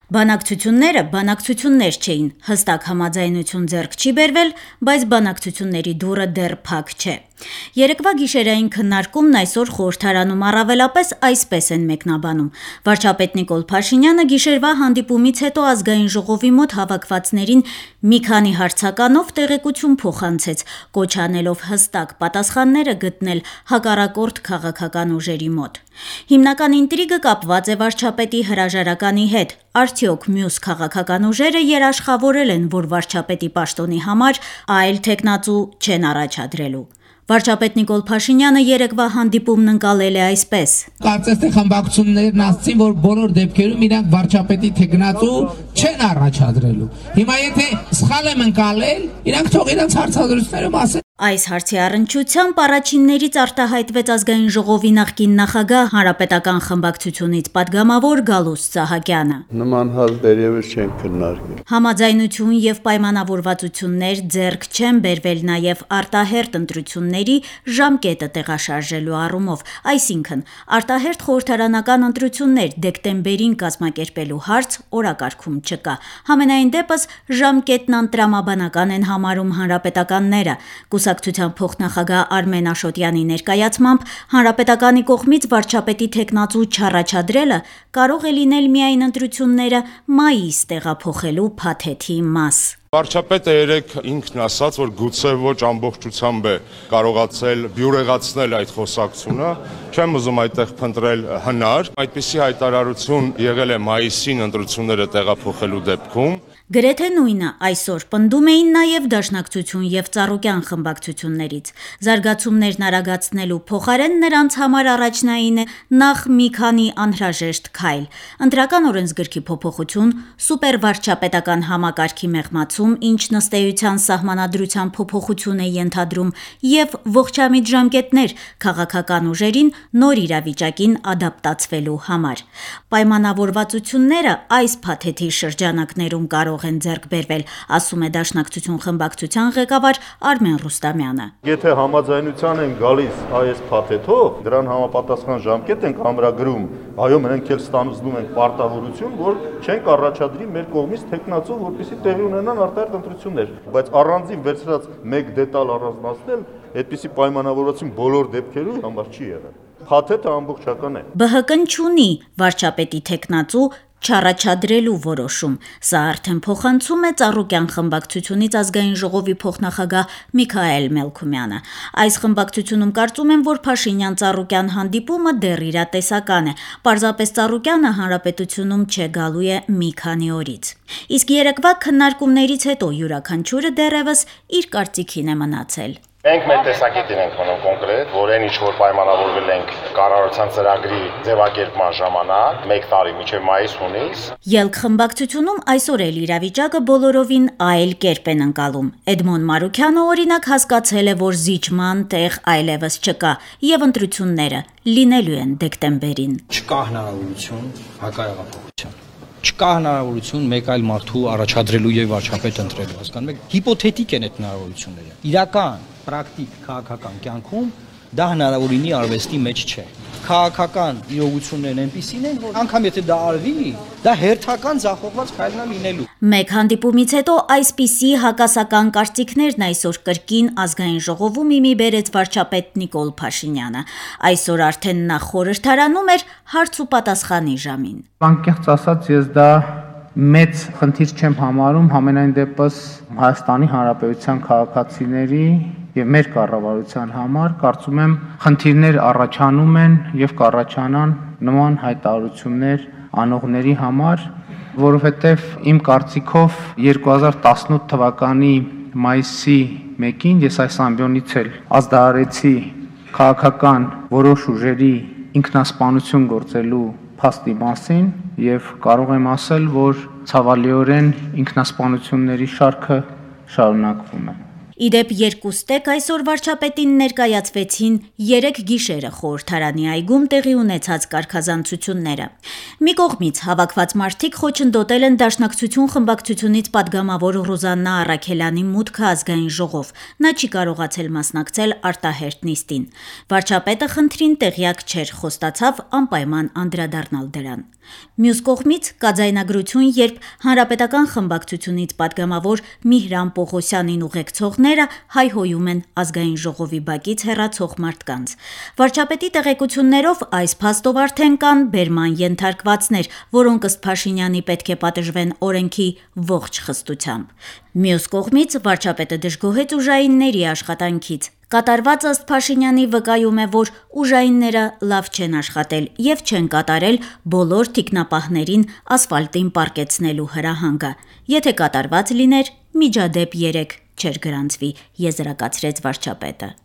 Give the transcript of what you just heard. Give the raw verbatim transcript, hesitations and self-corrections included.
Բանակցությունները բանակցություններ չէին, հստակ համաձայնություն ձեռք չի բերվել, բայց բանակցությունների դուռը դեռ փակ չէ։ Երեկվա գիշերային քննարկումն այսօր խորհրդարանում առավելապես այսպես են մեկնաբանում։ Վարչապետ Նիկոլ Փաշինյանը գիշերվա հանդիպումից հետո ազգային ժողովի մոտ հավաքվածներին մի քանի հարցականով տեղեկություն փոխանցեց, կոչ անելով հստակ պատասխանները գտնել հակառակորդ քաղաքական ուժերի մոտ։ Հիմնական ինտրիգը կապված է վարչապետի հրաժարականի հետ։ Արդյոք մյուս քաղաքական ուժերը երաշխավորել են, որ վարչապետի պաշտոնի համար այլ թեկնածու չեն առաջադրելու։ Վարչապետ Նիկոլ Փաշինյանը երեկվա հանդիպումն ընկալել է այսպես. Կարծես թե խմբակցություններն ասացին, որ բոլոր դեպքերում իրանք վարչապետի թեկնածու չեն առաջադրելու։ Հիմա եթե սխալ եմ ընկալել, իրանք թող իրանք հարցադրություններում ասեն։ Այս հարցի առնչությամբ առաջիններից արտահայտվեց ազգային ժողովի նախկին նախագահ հանրապետական խմբակցությունից падգամավոր Գալուստ Սահակյանը։ Նման հարց դերևս չեն քննարկել։ Համաձայնություն եւ պայմանավորվածություններ ձեռք չեն բերվել նաեւ արտահերտ ընտրությունների ժամկետը տեղաշարժելու առումով, այսինքն արտահերտ խորհրդարանական ընտրություններ դեկտեմբերին կազմակերպելու հարց օրակարգում չկա։ Համենայն դեպս ժամկետն անտրամաբանական են համարում հանրապետականները։ Կուսակցության փոխնախագահ Արմեն Աշոտյանի ներկայացմամբ հանրապետականի կողմից վարչապետի թեկնածու չառաջադրելը կարող է լինել միայն ընտրությունները մայիս տեղափոխելու փաթեթի մաս։ Վարչապետը երեք ինքն ասաց, որ գուցե ոչ ամբողջությամբ է կարողացել բյուրեղացնել այդ խոսակցությունը, չեմ ուզում այդտեղ փնտրել հնար, այդպիսի հայտարարություն եղել է մայիսին ընտրությունները տեղափոխելու դեպքում։ Գրեթե նույնը այսօր պնդում էին նաև Դաշնակցություն եւ Ծառուկյան խմբակցություններից։ Զարգացումներն արագացնելու փոխարեն նրանց համար առաջնային է նախ մի քանի անհրաժեշտ քայլ՝ ընտրական օրենսգրքի փոփոխություն, սուպերվարչապետական համակարգի մեղմացում, ինչ նստեյության սահմանադրության փոփոխություն է ենթադրում, եւ ողջամիտ ժամկետներ քաղաքական ուժերին նոր իրավիճակին ադապտացվելու համար։ Պայմանավորվածությունները այս փաթեթի շրջանակներում կարող են ձեռք բերվել, ասում է Դաշնակցություն խմբակցության ղեկավար Արմեն Ռուստամյանը։ Եթե համաձայնության են գալիս այս փաթեթով, դրան համապատասխան ժամկետ ենք ամրագրում, այո, մենք էլ ստանձնում ենք պարտավորություն, որ չենք առաջադրի մեր կողմից թեկնածու, որպեսզի տեղի ունենան արտահերթ ընտրություններ, բայց առանձին վերցրած մեկ դետալ առանձնացնել, այդպիսի պայմանավորվածություն բոլոր դեպքերում համար չի եղել։ Փաթեթը ամբողջական է։ ԲՀԿ-ն չունի վարչապետի թեկնածու չառաջադրելու որոշում։ Սա արդեն փոխանցում է Ծառուկյան խմբակցությունից ազգային ժողովի փոխնախագահ Միքայել Մելքումյանը։ Այս խմբակցությունում կարծում են, որ Փաշինյան-Ծառուկյան հանդիպումը դեռ իրատեսական է։ Պարզապես Ծառուկյանը հանրապետությունում չգալու է մի քանի օրից։ Իսկ երեկվա քննարկումներից հետո յուրաքանչյուրը դեռևս իր կարծիքին է մնացել։ Մենք մեր տեսակետին ենք մնում կոնկրետ, որ այն ինչ որ պայմանավորվել ենք կառավարության ծրագրի ձևակերպման ժամանակ, մեկ տարի մինչև մայիս-հունիս։ Ելք խմբակցությունում այսօր էլ իրավիճակը բոլորովին այլ կերպ են ընկալում։ Էդմոն Մարուքյանը օրինակ հասկացել է, որ զիջման տեղ այլևս չկա, եւ ընտրությունները լինելու են դեկտեմբերին։ Չկա հնարավորություն հակառակապահության։ Չկա հնարավորություն մեկ այլ մարդու առաջադրելու եւ վարչապետ ընտրելու, հասկանում եք, հիպոթետիկ են այդ հնարավորությունները։ Իրական, պրակտիկ քաղաքական կյանքում դա հնարավոր լինի արվեստի մեջ չէ։ Քաղաքական իրողություններն այնպիսին են, որ անգամ եթե դա արվի, դա հերթական ձախողված քայլն է լինելու։ Մեկ հանդիպումից հետո այսպիսի հակասական կարծիքներն այսօր կրկին ազգային ժողովում իմի բերեց վարչապետ Նիկոլ Փաշինյանը։ Այսօր արդեն նա խորհրդարանում էր հարց ու պատասխանի ժամին։ Անկեղծ ասած, ես դա մեծ խնդիր չեմ համարում, համենայն դեպս Հայաստանի Հանրապետության քաղաքացիների եւ մեր կառավարության համար կարծում եմ խնդիրներ առաջանում են եւ կառաջանան նման հայտարարություններ անողների համար, որովհետեւ իմ կարծիքով երկու հազար տասնութ թվականի մայիսի մեկին ես այս ամբիոնից էլ ազդարարեցի քաղաքական որոշ ուժերի ինքնասպանություն գործելու փաստի մասին եւ կարող եմ ասել, որ ցավալիորեն ինքնասպանությունների շարքը շարունակվում է։ Իդեպ երկու ստեկ այսօր վարչապետին ներկայացվեցին երեք գիշերը խորհրդարանի այգում տեղի ունեցած կարգազանցությունները։ Մի կողմից հավաքված մարդիկ խոչընդոտել են Դաշնակցություն խմբակցությունից պատգամավոր Ռուզաննա Առաքելյանի մուտքը ազգային ժողով։ Նա չի կարողացել մասնակցել արտահերթ նիստին։ Վարչապետը խնդրին տեղյակ չէր, խոստացավ անպայման անդրադառնալ դրան։ Մյուս կողմից կա ձայնագրություն, երբ Հանրապետական խմբակցությունից պատգամավոր Միհրան Պողոսյանին ուղեկցողները հայհոյում են ազգային ժողովի բակից հեռացող մարդկանց։ Վարչապետի տեղեկություններով այս փաստով արդեն կան բերման ենթարկվածներ, որոնք ըստ Փաշինյանի պետք է պատժվեն օրենքի ողջ խստությամբ։ Մյուս կողմից վարչապետը դժգոհեց ուժայինների աշխատանքից։ Կատարվածը ըստ Փաշինյանի վկայում է, որ ուժայինները լավ չեն աշխատել եւ չեն կատարել բոլոր թիկնապահներին ասֆալտին պառկեցնելու հրահանգը։ Եթե կատարված լիներ, միջադեպ երեք չէր գրանցվի, եզրակացրեց վարչապետը։